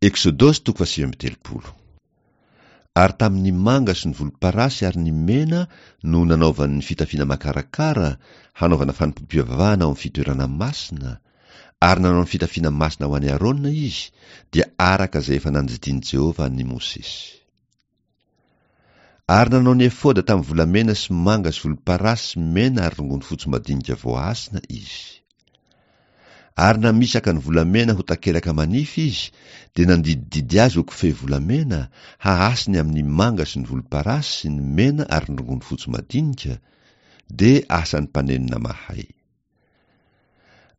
Eksodosy toko faha-39. Ary tamin' ny manga sy ny volomparasy ary ny mena no nanaovany ny fitafiana makarakara hanaovana fanompoam-pivavahana ao amin'ny fitoerana masina, ary nanao ny fitafiana masina ho an'i Arona izy, dia araka izay efa nandidian'i Jehovah an'i Mosesy. Ary nanao ny efoda tamin'ny volamena sy manga sy volomparasy sy mena ary rongony fotsy madinika voahasina izy. Ary namisaka ny volamena ho takelaka manify izy, dia nandidididy azy ho kofehy volamena, hahasiny amin'ny manga sy ny volomparasy sy ny mena ary ny rongony fotsy madinika, dia asan'ny mpanenona mahay.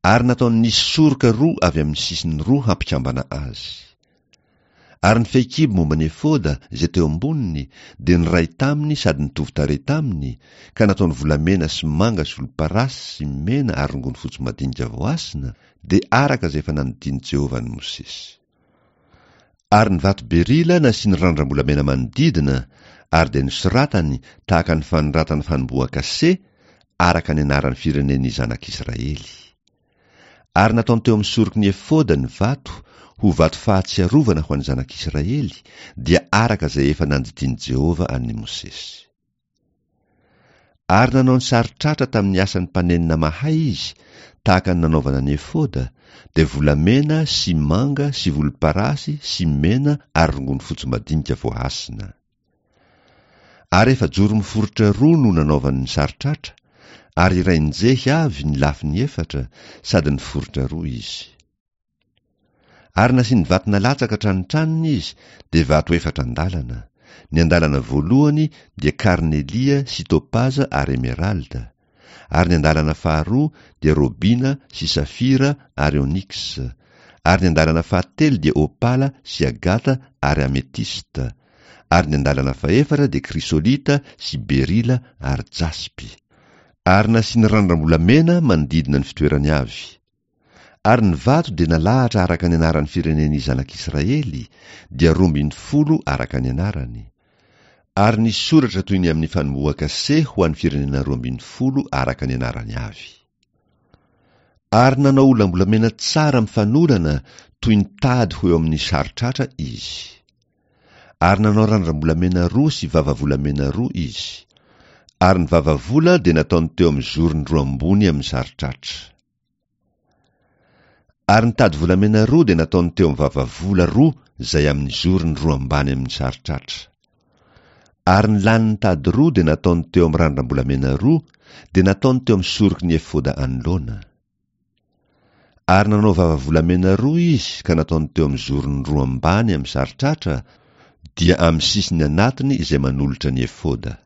Ary nataony nisy soroka roa avy amin'ny sisiny roa hampikambana azy. Ary ny fehikibo momba ny efoda izay teo amboniny dia niray taminy sady nitovy tarehy taminy, ka nataony volamena sy manga sy volomparasy sy mena ary rongony fotsy madinika voahasina, dia araka izay efa nandidian'i Jehovah an'i Mosesy. Ary ny vato berila nasiany randram-bolamena manodidina, ary dia nosoratany tahaka ny fanoratana fanombohan-kase, araka ny anaran'ny firenen'ny zanak'Israely. Ary nataony teo amin'ny soroky ny efoda ny vato, ho vato fahatsiarovana ho an'ny zanak'Israely, dia araka izay efa nandidian'i Jehovah an'i Mosesy. Ary nanao ny saron-tratra tamin'ny asan'ny mpanenona mahay izy, tahaka ny nanaovana ny efoda, dia volamena sy manga sy volomparasy sy mena ary rongony fotsy madinika voahasina. Ary efajoro miforitra roa no nanaovany ny saron-tratra, ary iray njehy avy ny lafiny efatra, sady niforitra roa izy. Ary nasiany vato nalatsaka hatrany-tranony izy, dia vato efatra andalana, ny andalana voalohany dia karnelia sy topaza ary emeralda, ary ny andalana faharoa dia robina sy safira ary onyx, ary ny andalana fahatelo dia opala sy agata ary ametista, ary ny andalana fahefatra dia krysolita sy berila ary jaspy. Ary nasiany randram-bolamena manodidina ny fitoerany avy. Ary ny vato dia nalahatra araka ny anaran'ny firenen'ny zanak'Israely, dia 12 araka ny anarany. Ary nisy soratra toy ny amin'ny fanombohan-kase ho an'ny firenena 12 araka ny anarany avy. Ary nanao olam-bolamena tsara mifanolana toy ny tady ho eo amin'ny saron-tratra izy. Ary nanao randram-bolamena roa sy vava volamena roa izy. Ary ny vava vola dia nataony teo amin'ny zorony roa ambony amin'ny saron-tratra. Ary ny tady volamena roa dia nataony teo amin'ny vava vola roa izay amin'ny zorony roa ambany amin'ny saron-tratra. Ary ny lanin'ny tady roa dia nataony teo amin'ny randram-bolamena roa, dia nataony teo amin'ny soroky ny efoda anoloana. Ary nanao vava volamena roa izy ka nataony teo amin'ny zorony roa ambany amin'ny saron-tratra, dia amin'ny sisiny anatiny izay manolotra ny efoda.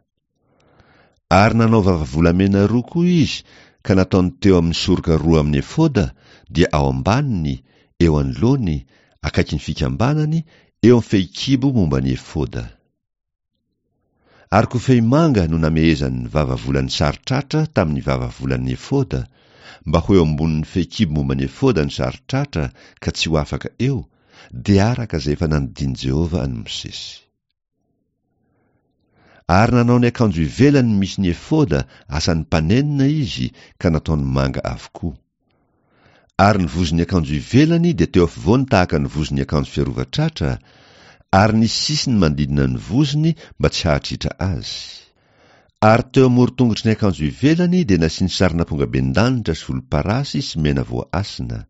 Ary nanao vava volamena roa koa izy ka nataony teo amin'ny soroka roa amin'ny efoda, dia ao ambaniny, eo anoloany, akaikin'ny fikambanany, eo amin'ny fehikibo momba ny efoda. Ary kofehy manga no namehezany ny vava volan'ny saron-tratra tamin'ny vava volan'ny efoda, mba ho eo ambonin'ny fehikibo momba ny efoda ny saron-tratra ka tsy ho afaka eo, dia araka izay efa nandidian'i Jehovah an'i Mosesy. Ary nanao ny akanjo ivelany misy ny efoda asan'ny mpanenona izy ka nataony manga avokoa. Ary ny vozon'ny akanjo ivelany dia teo afovoany tahaka ny vozon'ny akanjo fiarovan-tratra, ary nisy sisiny manodidina ny vozony mba tsy hahatritra azy. Ary teo amoron-tongotry ny akanjo ivelany dia nasiany sarin'ampongabendanitra sy volomparasy sy mena voahasina.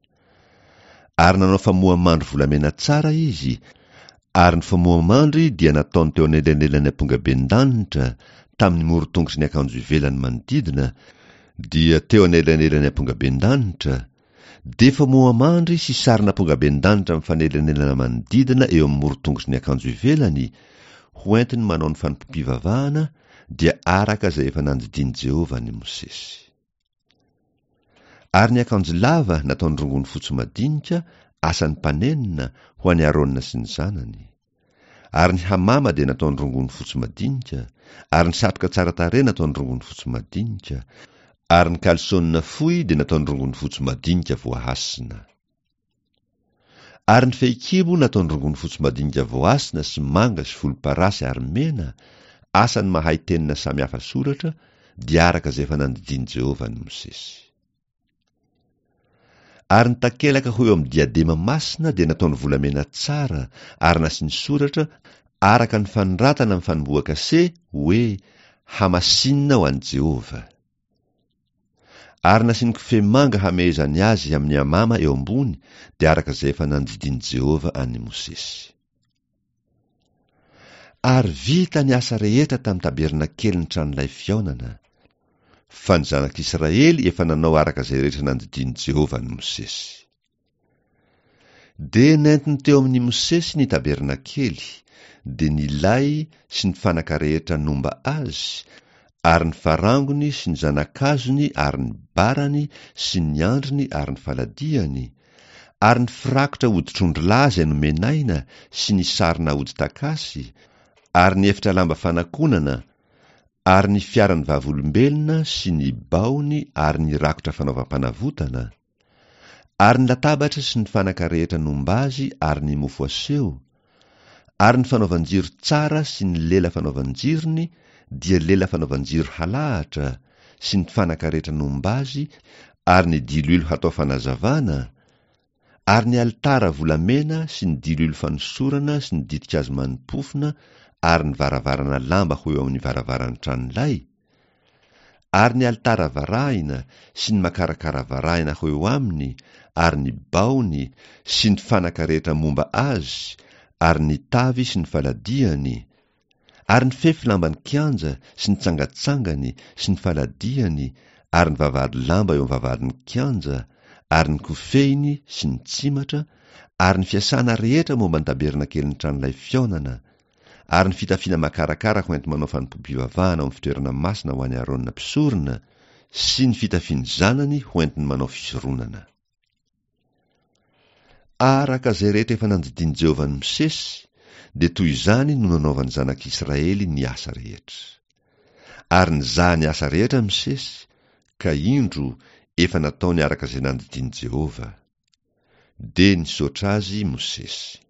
Ary nanao famoha-mandry volamena tsara izy, ary ny famoha-mandry dia nataony teo anelanelan'ny ampongaben-danitra, tamin'ny moron-tongotry ny akanjo ivelany manodidina, dia teo anelanelan'ny ampongaben-danitra, dia famoha-mandry sy sarin'ampongaben-danitra mifanelanelana manodidina eo amin'ny moron-tongotry ny akanjo ivelany, ho entiny manao ny fanompoam-pivavahana, dia araka izay efa nandidian'i Jehovah an'i Mosesy. Ary ny akanjo lava nataony rongony fotsy madinika, asan'ny mpanenona, ho an'i Arona sy ny zanany. Ary ny hamama dia nataony rongony fotsy madinika, ary ny satroka tsara tarehy nataony rongony fotsy madinika, ary ny kalsônina fohy dia nataony rongony fotsy madinika voahasina. Ary ny fehikibo nataony rongony fotsy madinika voahasina sy manga sy volomparasy ary mena, asan'ny mahay tenona samy hafa soratra, dia araka izay efa nandidian'i Jehovah an'i Mosesy. Ary ny takelaka ho eo amin'ny diadema masina dia nataony volamena tsara ary nasiany soratra araka ny fanoratana amin'ny fanombohan-kase hoe, Hamasinina ho an'i Jehovah. Ary nasiany kofehy manga hamehezany azy amin'ny amama eo ambony dia araka izay efa nandidian'i Jehovah an'i Mosesy. Ary vita ny asa rehetra tamin'ny tabernakelin'ny tranolay fihaonana, fa ny zanak'Israely efa nanao araka izay rehetra nandidian'i Jehovah an'i Mosesy. Dia nentiny teo amin'i Mosesy ny tabernakely, dia ny lay sy ny fanaka rehetra nomba azy, ary ny farangony sy ny zana-kazony ary ny barany sy ny andriny ary ny faladiany, ary ny firakotra hoditr'ondrilahy izay nomen'aina sy ny sarona hodi-takasy, ary ny efitra lamba fanakonana, ary ny fiaran'ny vavolombelona sy ny baony ary ny rakotra fanaovam-panavotana, ary ny latabatra sy ny fanaka rehetra nomba azy ary ny mofo aseho, ary ny fanaovan-jiro tsara sy ny lela fanaovan-jirony, dia lela fanaovan-jiro halahatra, sy ny fanaka rehetra nomba azy ary ny diloilo hatao fanazavana, ary ny alitara volamena sy ny diloilo fanosorana sy ny ditin-kazo mani-pofona ary ny varavarana lamba ho eo amin'ny varavaran'ny tranolay, ary ny alitara varahina sy ny makarakara varahina ho eo aminy ary ny baony sy ny fanaka rehetra momba azy ary ny tavy sy ny faladiany ary ny fefy lamban'ny kianja sy ny tsangatsangany sy ny faladiany ary ny vavahady lamba eo amin'ny vavahadin'ny kianja ary ny kofehiny sy ny tsimatra ary ny fiasana rehetra momba ny tabernakelin'ny tranolay fihaonana ary ny fitafiana makarakara ho enti-manao fanompoam-pivavahana ao amin'ny fitoerana masina ho an'i Arona mpisorona sy ny fitafian'ny zanany ho entiny manao fisoronana. Araka izay rehetra efa nandidian'i Jehovah an'i Mosesy, dia toy izany no nanaovan'ny zanak'Israely ny asa rehetra. Ary nizaha ny asa rehetra Mosesy, ka indro, efa nataony araka izay nandidian'i Jehovah. Dia nisaotra azy Mosesy.